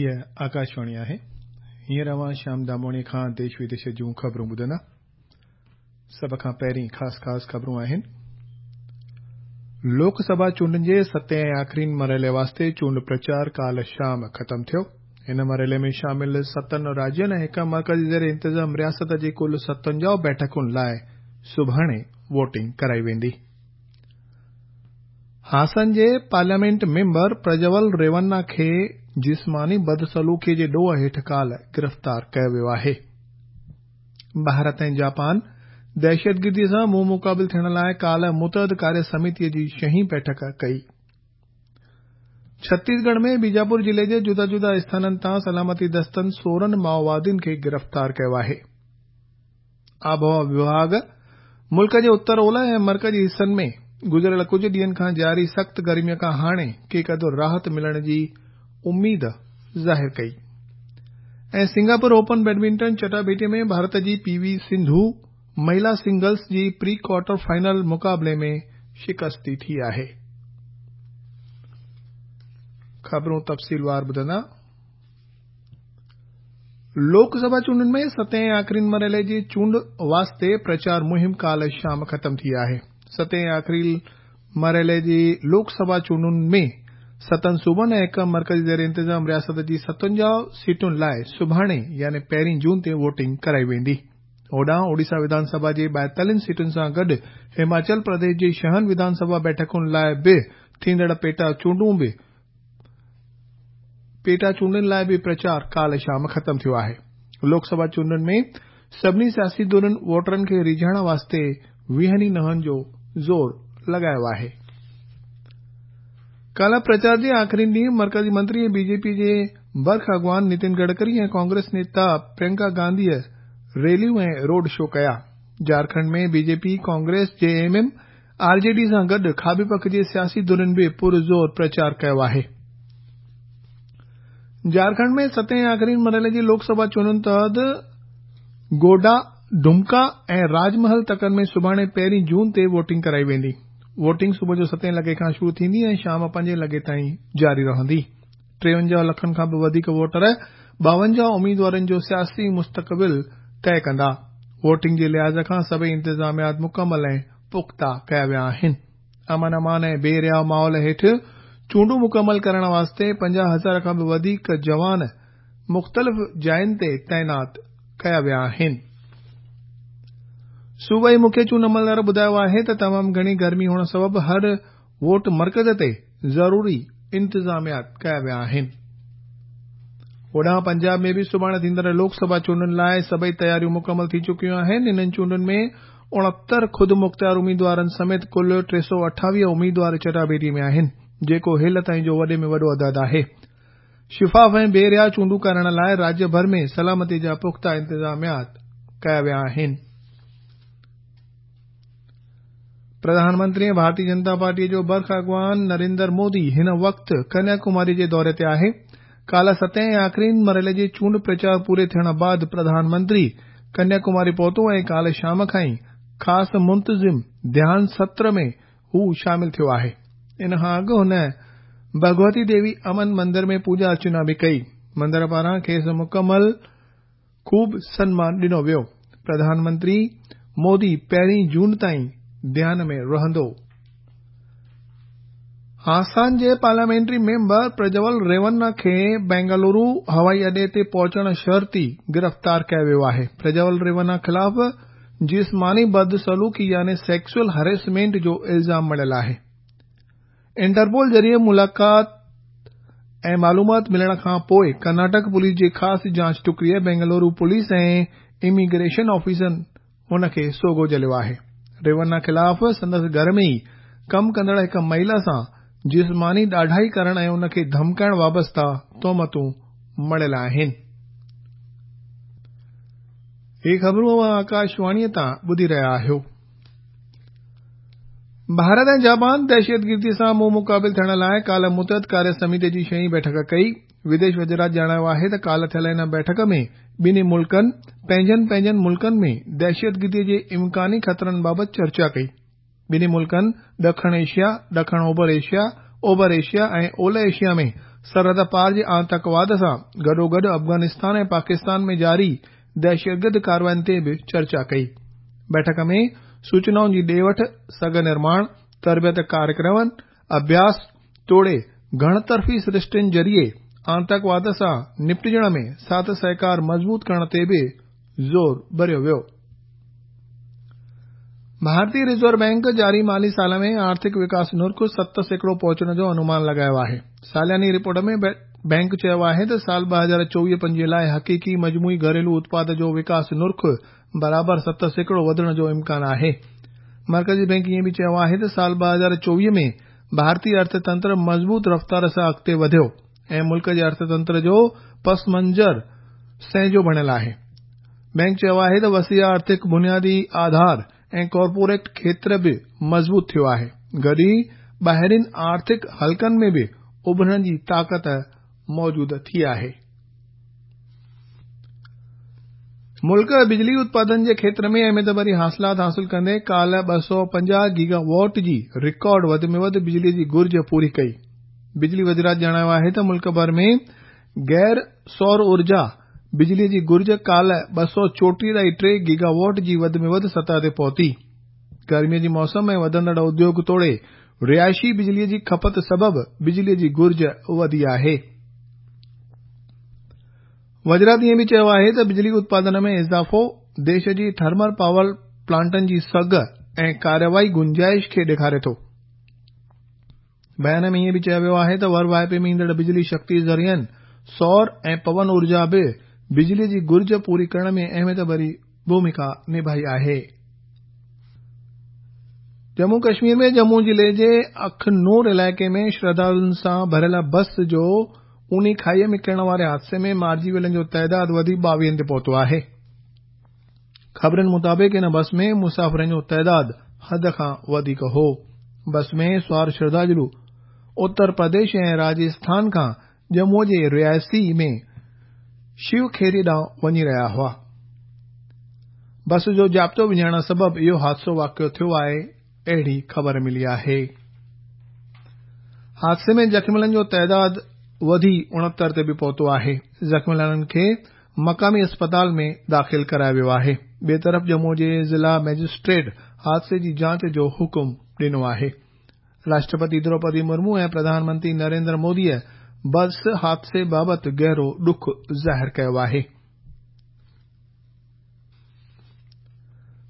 هيء آڪاشواڻي آهي. هينئر اوهان شيام داموڻي کان ديش وديش جون خبرون ٻڌندا. سڀ کان پهرين خاص خاص خبرون آهن. لوڪ سڀا چونڊن جي ستين ۽ آخرين مرحلي واسطي چونڊ پرچار ڪالهه شام ختم ٿيو. هن مرحلي ۾ شامل ستن راجين ۽ هڪ مرڪزي زير انتظام رياست جي ڪل 57 بيٺڪن لاء سڀاڻي ووٽنگ ڪرائي ويندي. هاسن جي پارليامينٽ ميمبر پرجول ريونا کي جسماني بدسلوڪي جي ڏوهه هيٺ ڪالهه گرفتار ڪيو ويو آهي. ڀارت ۽ جاپان دهشتگردي سان منهن مقابل ٿيڻ لاء ڪالهه متحد ڪاريه سميتي جي ڇهين بيٺڪ ڪئي. ڇتيسڳڙهه ۾ بيجاپور ضلعي جي جدا جدا اسٿانن تان سلامتي دستن 16 مائووادين کي گرفتار ڪيو آهي. آبهوا وڀاڳ ملڪ جي اتر اولهه ۽ مرڪزي حصن ۾ گذريل ڪجهه ڏينهن کان جاري سخت گرمي کان هاڻي ڪي قدر راحت ملڻ جي اميد ظاهر ڪئي ۽ سنگاپور اوپن بيڊمنٽن چٽاڀيٽي ۾ ڀارت جي پي وي سنڌو مهلا سنگلز جي پري ڪوارٽر فائنل مقابلي ۾ شڪستي ٿي آهي. خبرون تفصيلوار ٻڌندا. لوڪ سڀا چونڊن ۾ ستين ۽ آخرين مرحلي جي چونڊ واسطي پرچار مهم ڪالهه شام ختم ٿي آهي. ستين ۽ آخري مرحلي جي لوڪ سڀا چونڊن ۾ ستن صوبن ۽ هڪ مرڪزي زير انتظام رياست جي 57 سيٽن لاء سڀاڻي يعني پهرين جون تي ووٽنگ ڪرائي ويندي. هوڏانهن اوڊيسا وڌان سڀا جي 42 سيٽن سان گڏ هماچل پرديش جي ڇهن وڌان سڀا بيٺڪن لاء به ٿيندڙ پيٽا چونڊون به پيٽا چونڊن لاء به پرچار ڪالهه شام ختم ٿيو آهي. لوڪ سڀا چونڊن ۾ سڀني سياسي ڌرين ووٽرن کي ريجهائڻ واسطي ويهن ئي نهن جو زور لڳايو آهي. ڪالهه پرچار جي آخرين ڏينهن مرڪزي منتري ۽ بي جي پي جي برک اڳواڻ نتين گڊڪري ۽ ڪانگريس نيتا پريانڪا گانڌيء ريليون ۽ روڊ شو ڪيا. Jharkhand ۾ B J P, Congress, J M M, R J D سان گڏ کاٻي پک جي سياسي ڌرين به پرزور پرچار ڪيو آهي. جهارکنڊ ۾ ستين ۽ آخرين مرحلي جي لوڪ سڀا چونڊن تحت گوڊا، ڊمڪا ۽ راج محل تڪن ۾ سڀاڻي پهرين جون تي ووٽنگ ڪرائي ويندي. ووٽنگ صبح جو ستين لڳي کان شروع ٿيندي ۽ شام پنجين لڳي تائين جاري رهندي. 53 لکن کان به وڌيڪ ووٽر 52 اميدوارن جو سياسي مستقبل طئي ڪندا. ووٽنگ جي لحاظ کان سڀئي انتظاميات مڪمل ۽ پختا ڪيا ويا آهن. امن امان ۽ بي رياء ماحول هيٺ چونڊون مڪمل ڪرڻ واسطي 50 هزار کان به وڌيڪ جوان مختلف جاين تي تعينات ڪيا ويا آهن. صوبائي مکيه چونڊ عملدار ٻڌايو آهي ته تمام گهڻي گرمي هئڻ سبب هر ووٽ مرڪز تي ضروري انتظاميات ڪيا ويا آهن. هوڏانهن پنجاب ۾ به سڀاڻي ٿيندڙ لوڪ سڀا چونڊن لاء سڀئي تياريون مڪمل ٿي چڪيون آهن. انهن چونڊن ۾ 69 خودمختيار اميدوارن سميت ڪل 328 اميدوار چٽاڀيٽي ۾ آهن، جيڪو هيل تائين جو وڏي ۾ وڏو عدد آهي. شفاف ۽ بي رياء چونڊون ڪرائڻ لاء راجيه ڀر ۾ سلامتي جا پختا انتظاميات ڪيا ويا آهن. پرڌان منتري ۽ ڀارتي جنتا پارٽيء جو برک اڳواڻ نريندر مودي هن وقت ڪنيا ڪماري جي دوري تي آهي. ڪالهه ستين ۽ آخرين مرحلي جي چونڊ پرچار پوري ٿيڻ بعد پرڌان منتري ڪنيا ڪماري پهتو ۽ ڪالهه شام کان ئي خاص منتظم ڌيان ستر ۾ هو شامل ٿيو آهي. ان کان اڳ هن ڀڳوتي ديوي امن مندر ۾ پوڄا ارچنا به ڪئي. مندر پاران کيس مڪمل خوب سنمان ڏنو ويو. پرڌان منتري مودي پهرين جون تائين ڌيان ۾ رهندو. هاسان جي پارليامينٽري ميمبر پرجول ريونا کي بينگالورو هوائي اڏي تي پهچڻ شرط ئي گرفتار ڪيو ويو آهي. پرجول ريونا خلاف جسماني بدسلوڪي يعني سيڪسوئل هريسمينٽ جو الزام مڙهيل آهي. انٽرپول ذريعي ملاقات ۽ معلومات ملڻ کان پوء ڪرناٽڪ پوليس جي خاص جاچ ٽڪڙيء بينگلورو پوليس ۽ اميگريشن آفيسرن هن کي سوگهو جهليو آهي. ريونا خلاف سندس گهر ۾ ئي ڪم ڪندڙ هڪ مهيلا سان جسماني ڏاڍائي ڪرڻ ۽ ان کي ڌمڪائڻ وابسته تهمتون مڙهيل آهن. هي خبرون اوهان آڪاشواڻيء تان ٻڌي رهيا آهيو. ڀارت ۽ جاپان دهشتگردي سان منهن مقابل ٿيڻ لاء ڪالهه متحد ڪاريه سميتي جي ڇهين بيٺڪ ڪئي. وديش وزارت ڄاڻايو آهي ته ڪالهه ٿيل ان بيٺڪ ۾ ٻنهي ملڪن پنهنجن پنهنجن ملڪن ۾ دهشتگردي جي امڪاني خطرن بابت چرچا ڪئي. ٻنهي ملڪن ڏکڻ ايشيا، ڏکڻ اوڀر ايشيا، اوڀر ايشيا ۽ اولهه ايشيا ۾ سرحد پار جي آتنڪواد سان گڏوگڏ افغانستان ۽ پاڪستان ۾ جاري دهشتگرد ڪاررواين تي به چرچا ڪئي. بيٺڪ ۾ سوچنائن جي ڏي وٺ، سگهه نرماڻ، تربيت ڪاريڪرمن، اڀياس توڙي گهڻ طرفي سرشتن ذريعي آتنڪواد سان نپٽجڻ ۾ ساٿ سهڪار مضبوط ڪرڻ تي به زور ڀريو ويو. ڀارتي رزرو بئنڪ جاري مالي سال ۾ آرٿڪ وڪاس نرخ 7% پهچڻ جو انومان لڳايو آهي. سالياني رپورٽ ۾ بئنڪ چيو آهي ته سال 2024-25 لاء حقيقي مجموعي گهريلو اتپاد جو وڪاس نرخ برابر 7% وڌڻ جو امڪان آهي. مرڪزي بئنڪ ائين به چيو آهي ته سال 2024 ۾ ڀارتي ارٿتنتر مضبوط رفتار سان اڳتي وڌيو ۽ ملڪ جي ارٿتنتر جو پس منظر سهنجو بڻيل آهي. بئنڪ چيو آهي ته وسيع آرٿڪ بنيادي آڌار ۽ ڪارپوريٽ کيتر به مضبوط ٿيو آهي، گڏ ئي ٻاهرين آرٿڪ حلقن ۾ به اڀرڻ جي طاقت موجود ٿي آهي. ملڪ بجلي اتپادن جي کيتر ۾ اهميت ڀري حاصلات حاصل ڪندي ڪالهه 250 گيگا واٽ جي رڪارڊ وڌ ۾ وڌ بجلي جي گهرج پوري ڪئي. بجلي وزارت ڄاڻايو آهي ته ملڪ ڀر ۾ غير سور اورجا بجلي جي گهرج ڪالهه 234.3 گيگا واٽ جي وڌ ۾ وڌ سطح تي پهتي. گرمي جي موسم ۽ وڌندڙ اديوگ توڙي رهائشي بجلي جي کپت سبب بجلي جي گهرج وڌي آهي. وزارت ائين به چيو آهي ته بجلي اتپادن ۾ اضافو ديش جي ٿرمل پاور پلانٽن جي سگهه ۽ ڪارروائي گنجائش کي ڏيکاري ٿو. بيان ۾ ائين به چيو ويو آهي ته ور واهپي ۾ ايندڙ بجلي شڪتي ذريعن سور ۽ پون اورجا به بجلي جي گهرج پوري ڪرڻ ۾ اهميت ڀري ڀوميڪا نڀائي آهي. ڄمون ڪشمير ۾ ڄمون ضلعي جي اکنور علائقي ۾ شرڌالن سان ڀريل بس جو اونهي کاهيء ۾ ڪرڻ واري حادثي ۾ مارجي ويلن جو تعداد وڌي 22 تي پهتو آهي. خبرن مطابق ان بس ۾ مسافرن جو تعداد حد کان وڌيڪ هو. بس ۾ سوار شرڌالو اتر پرديش ۽ راجسٿان کان ڄمون جي رهائشي ۾ شو کيري ڏانهن وڃي رهيا هئا. بس جو ضابطو وڃائڻ سبب اهو حادثو واقع ٿيو آهي، اهڙي خبر ملي آهي. حادثي ۾ زخميلن جو تعداد وڌي 69 تي به پهتو آهي. زخميلن کي مقامي اسپتال ۾ داخل ڪرايو ويو آهي. ٻئي طرف ڄمون جي ضلع مئجسٽريٽ حادثي جي جاچ جو حڪم ڏنو آهي. راشٽرپتي دروپدي مرمو ۽ پرڌان منتري نريندر موديء بس حادثي بابت گهرو ڏک ظاهر ڪيو آهي.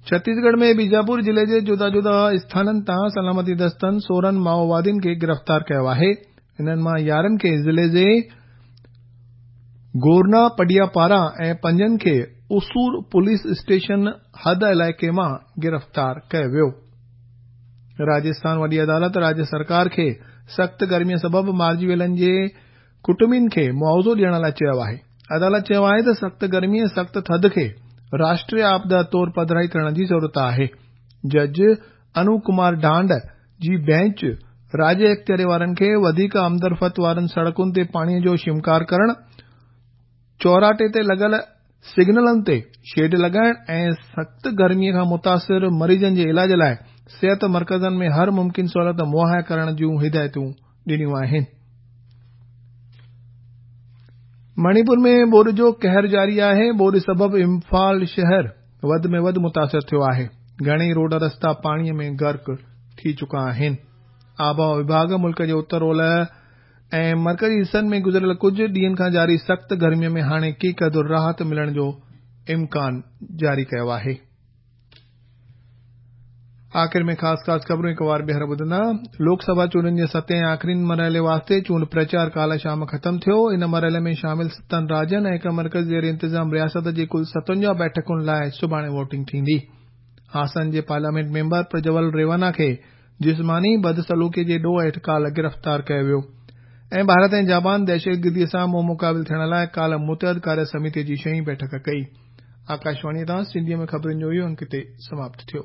ڇتيسڳڙهه ۾ بيجاپور ضلعي جي جدا جدا اسٿانن تان سلامتي دستن 16 مائووادين کي گرفتار ڪيو آهي. انهن مان 11 کي ضلعي جي گورنا پڊيا پاران ۽ پنجن کي اسور پوليس اسٽيشن حد علائقي مان گرفتار ڪيو ويو. راجسٿان وڏي عدالت راجيه سرڪار کي سخت گرمي سبب مارجي ويلن جي ڪٽنبن کي معاوضو ڏيڻ لاء چيو آهي. عدالت چيو آهي ته سخت گرمي ۽ سخت ٿڌ کي راشٽريه آپدا طور پڌرائي ڪرڻ جي ضرورت آهي. جج انو ڪمار ڍانڍ جي بينچ راجيه اختياري وارن کي وڌيڪ آمدرفت وارن سڙڪن تي پاڻي جو ڇمڪار ڪرڻ، چوراٽي تي لڳل سگنلن تي شيڊ لڳائڻ ۽ سخت گرمي کان متاثر مريضن جي علاج لاء صحت مرڪزن ۾ هر ممڪن سهولت مهيا ڪرڻ جون هدايتون ڏنيون آهن. مڻيپور ۾ ٻوڏ جو قهر جاري آهي، ٻوڏ سبب امفال شهر وڌ ۾ وڌ متاثر ٿيو آهي، گهڻيئي روڊ رستا پاڻي ۾ غرق ٿي چڪا آهن. آبهوا وڀاڳ ملڪ جي اتر اولهه ۽ مرڪزي حصن ۾ گذريل ڪجهه ڏينهن کان جاري سخت گرمي ۾ هاڻي ڪي قدر راحت ملڻ جو امڪان جاري ڪيو آهي. آخر ۾ خاص خاص خبرون هڪ وار ٻيهر ٻڌندا. لوڪ سڀا چونڊن جي ستين ۽ آخرين مرحلي واسطي چونڊ پرچار ڪالهه شام ختم ٿيو. ان مرحلي ۾ شامل ستن راجين ۽ هڪ مرڪزي زير انتظام رياست جي ڪل 57 بيٺڪن لاء سڀاڻي ووٽنگ ٿيندي. هاسن جي پارليامينٽ ميمبر پرجول ريوانا کي جسماني بدسلوڪي جي ڏوهه هيٺ ڪالهه گرفتار ڪيو ويو ۽ ڀارت ۽ جاپان دهشتگردي سان منهن مقابل ٿيڻ لاء ڪالهه متحد ڪاريه سميتي جي ڇهين بيٺڪ ڪئي. آڪاشواڻي تان سنڌيء ۾ خبرن جو اهو انڪ هتي سماپت ٿيو.